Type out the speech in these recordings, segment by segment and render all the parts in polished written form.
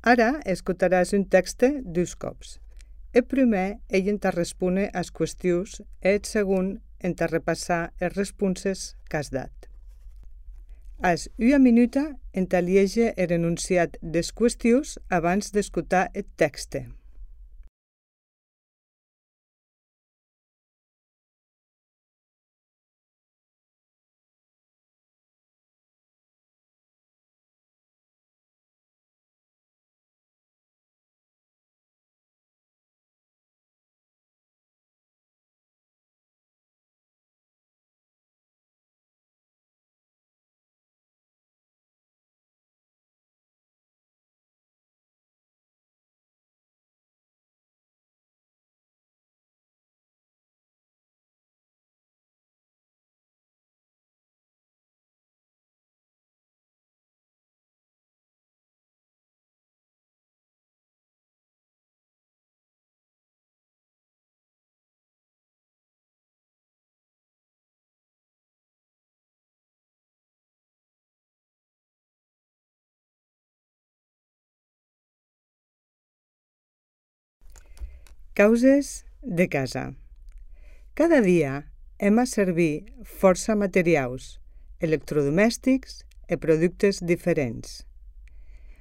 Ara escutaràs un text dos cops. El primer, ell entà respondre as qüestions e el segon entà repassar les responses qu'has dat. Has una minuta entà lieger el enunciat des qüestions abans d'escutar el text. Causes de casa. Cada dia hem a servir força materials, electrodomèstics i productes diferents.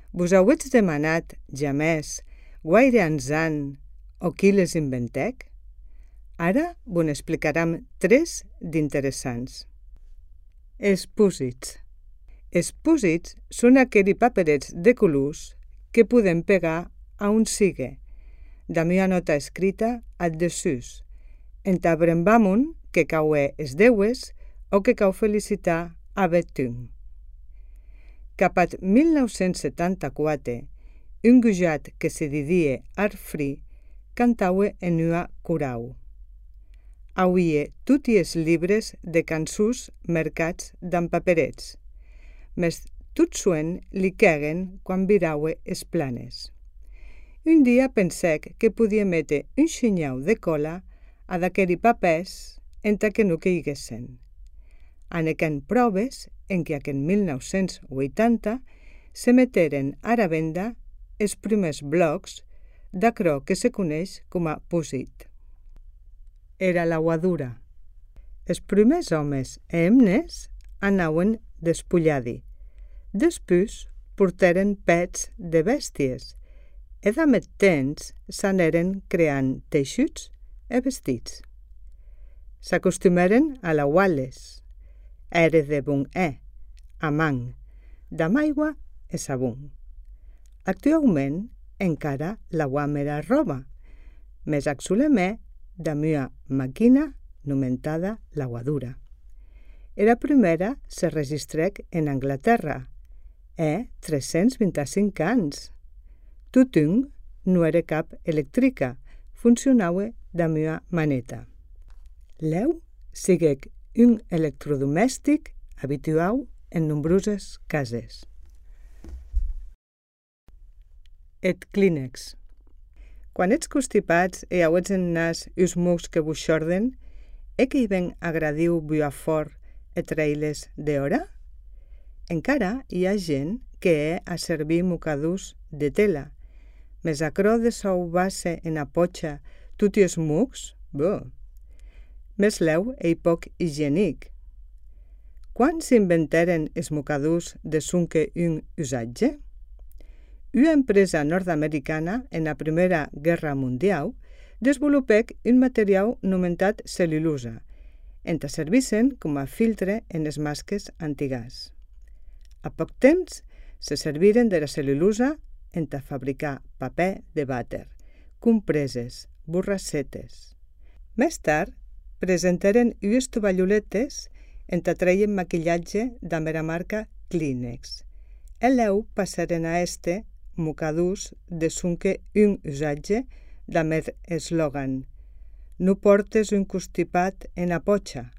Vos auetz demanat jamès guaire ansan o qui les inventèc? Ara vos n'explicaram 3 d'interessants. Els pòsits. Els pòsits són aquells paperets de colors que podem pegar a un sigue, damb una nota escrita al dessús, entà brembamon que cauè es deues o que cau felicitar a betun. Cap at 1974, un gujat que se didie Arfri cantaue en ua corau. Auie toti es libres de cançons mercats damb paperets, mes tot suen li quèguen quan viraue es planes. Un dia pensèc que podia metre un xinyau de cola a d'aqueri papers entà que no queiguessen. Anèquen proves en que en 1980 se meteren a la venda els primers blocs d'aquerò que se coneix com a pòsit. Era lauadura. Els primers homes e hemnes anauen despulladi. Despús portaren pets de bèsties e damb eth temps s'anèren creant teixuts e vestits. S'acostumèren a lauar-les. Ère de bon a man, damb aigua e sabon. Actuaument encara lauam era roba, mes ac solemè damb ua maquina nomentada lauadura. Era primera se registrèc en Anglaterra, 325 ans. Totun non ère cap electrica, funcionaue damb ua maneta. Lèu siguec un electrodomèstic habituau en nombroses cases. Eth Kleenex. Quan ets constipats e auetz en nas us mocs que vos xorden, que hi ven agradiu buar fort e trair-les d'hora? Encara hi ha gent que a servir mocadús de tela, mes aquerò de sauvar-se en a potxa toti es mocs, mes lèu ei poc higienic. Quan s'inventèren es mocadús de sonque un usatge? Una empresa nord-americana en la Primera Guerra Mundial desvolupèc un materiau nomentat cel·lulosa, entà servissen com a filtre en les masques antigàs. A poc temps se serviren de la cel·lulosa entà fabricar paper de vàter, compreses, borrassetes. Més tard, presentaren ues tovalloletes entà treien maquillatge damb era marca Kleenex. E lèu passaren a mocadús de sonque un usatge damb er eslògan «No portes un constipat en a potxa».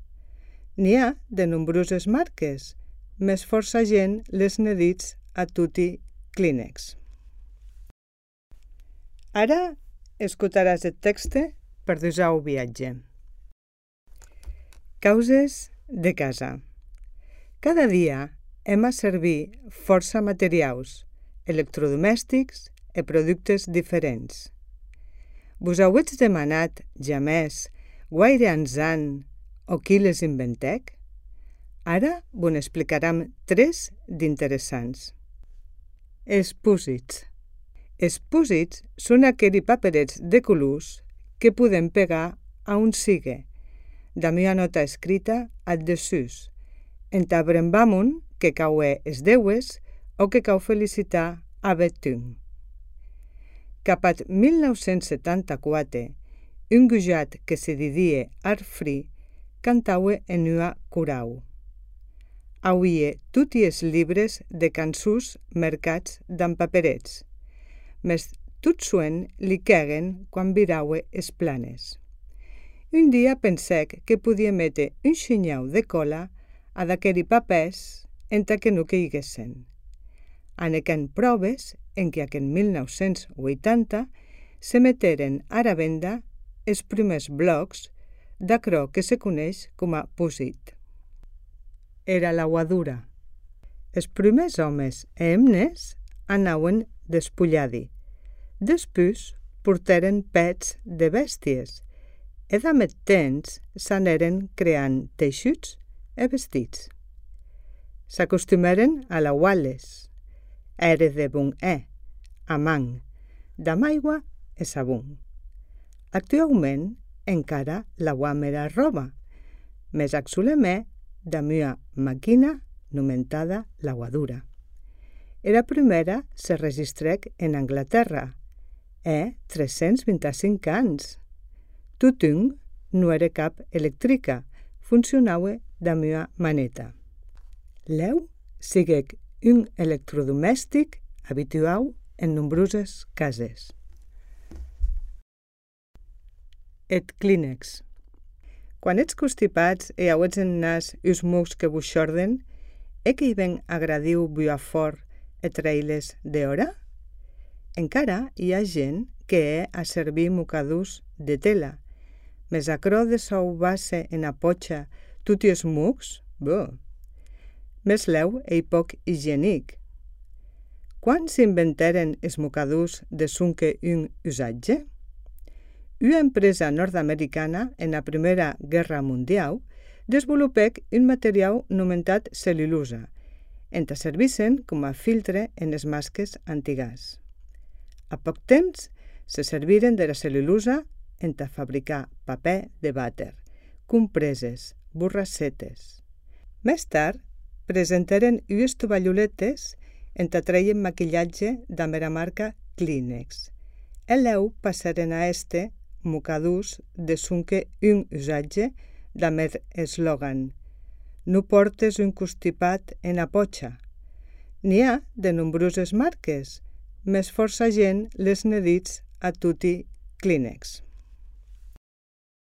N'hi ha de nombroses marques, mes força gent les ne ditz a toti Kleenex. Ara escutaràs el text per dusau viatge. Causes de casa. Cada dia hem a servir força materials, electrodomèstics e productes diferents. Vos auetz demanat jamès guaire ansan o qui les inventèc? Ara vos n'explicaram 3 d'interessants. Els púsits. Els púsits són aquells paperets de colors que podem pegar a un sigue, damb una nota escrita al desús, entà brembamon que caue es deues o que cau felicitar a betún. Cap at 1974, un gujat que se didie Arfri cantaue en ua corau. Auie tutti es libres de cançons mercats damb paperets, mes tot suen li quèguen quan viraue es planes. Un dia pensèc que podia mete un xinyau de cola a d'aqueri papers entà que no queiguessen. Anèquen proves en que en 1980 se meteren ara venda els primers blocs d'aquerò que se coneix com a púsit. Era lauadura. Els primers homes e hemnes anauen despulladi. Despús portaren pets de bèsties e damb eth temps s'anèren creant teixuts e vestits. S'acostumèren a lauar-les. Ère de bon a man, damb aigua e sabon. Actuaument encara lauam era roba, mes ac solemè damb ua maquina nomentada lauadura. Era primera se registrèc en Anglaterra, 325 ans. Totun non ère cap electrica, funcionaue damb ua maneta. Lèu siguec un electrodomèstic abituau en nombroses cases. Eth Kleenex. Quan ètz constipats e auetz en nas us mocs que vos xorden, que hi ven agradiu buar fort e trair-les d'hora? Encara hi ha gent que a servir mocadús de tela, mes aquerò de sauvar-se en a pocha toti es mocs, mes lèu ei poc higienic. Quan s'inventèren es mocadús de sonque un usatge? Una empresa nord-americana en la Primera Guerra Mundial desvolupèc un materiau nomentat cel·lulosa, entà servissen com a filtre en les masques antigàs. A poc temps se serviren de la cel·lulosa entà fabricar paper de vàter, compreses, borrassetes. Més tard, presentaren ues tovalloletes entà treien maquillatge damb era marca Kleenex. E lèu passaren a este mocadús de sonque un usatge damb er eslògan «No portes un constipat en a pocha». N'hi ha de nombroses marques, mes força gent les ne ditz a toti Kleenex.